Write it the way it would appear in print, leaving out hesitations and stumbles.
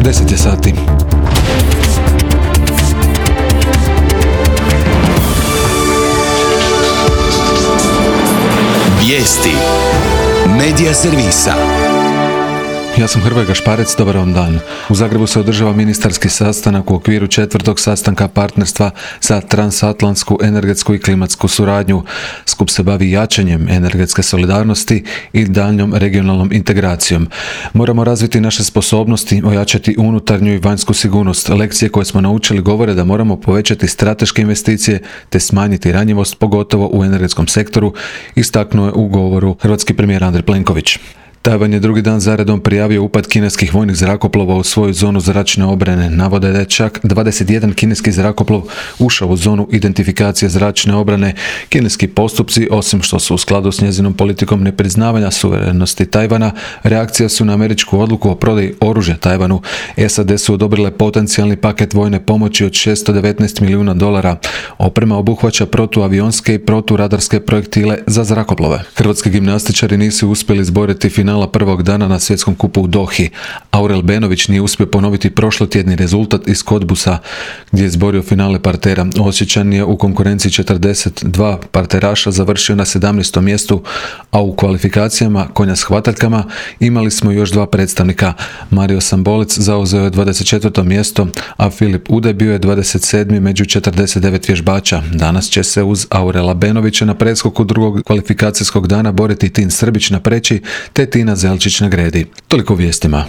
10 je sati. Vijesti Medija servisa. Ja sam Hrvoje Gašparec, dobar vam dan. U Zagrebu se održava ministarski sastanak u okviru 4. sastanka partnerstva za transatlantsku energetsku i klimatsku suradnju. Skup se bavi jačanjem energetske solidarnosti i daljnjom regionalnom integracijom. Moramo razviti naše sposobnosti, ojačati unutarnju i vanjsku sigurnost. Lekcije koje smo naučili govore da moramo povećati strateške investicije te smanjiti ranjivost, pogotovo u energetskom sektoru, istaknuo je u govoru hrvatski premijer Andrej Plenković. Tajvan je drugi dan zaredom prijavio upad kineskih vojnih zrakoplova u svoju zonu zračne obrane. Navode da je čak 21 kineski zrakoplov ušao u zonu identifikacije zračne obrane. Kineski postupci, osim što su u skladu s njezinom politikom nepriznavanja suverenosti Tajvana, reakcija su na američku odluku o prodaji oružja Tajvanu. SAD su odobrile potencijalni paket vojne pomoći od $619 milijuna. Oprema obuhvaća protuavionske i proturadarske projektile za zrakoplove. Hrvatski gimnastičari nisu uspjeli izboriti finala prvog dana na svjetskom kupu u Dohi. Aurel Benović nije uspio ponoviti prošlotjedni rezultat iz Kodbusa, gdje je izborio finale partera. Osječan je u konkurenciji 42 parteraša završio na 17. mjestu, a u kvalifikacijama konja s hvataljkama imali smo još dva predstavnika. Mario Sambolec zauzeo je 24. mjesto, a Filip Ude bio je 27. među 49 vježbača. Danas će se uz Aurela Benovića na preskoku drugog kvalifikacijskog dana boriti Tin Srbić na preći te Tina Zelčić na gredi. Toliko u vijestima.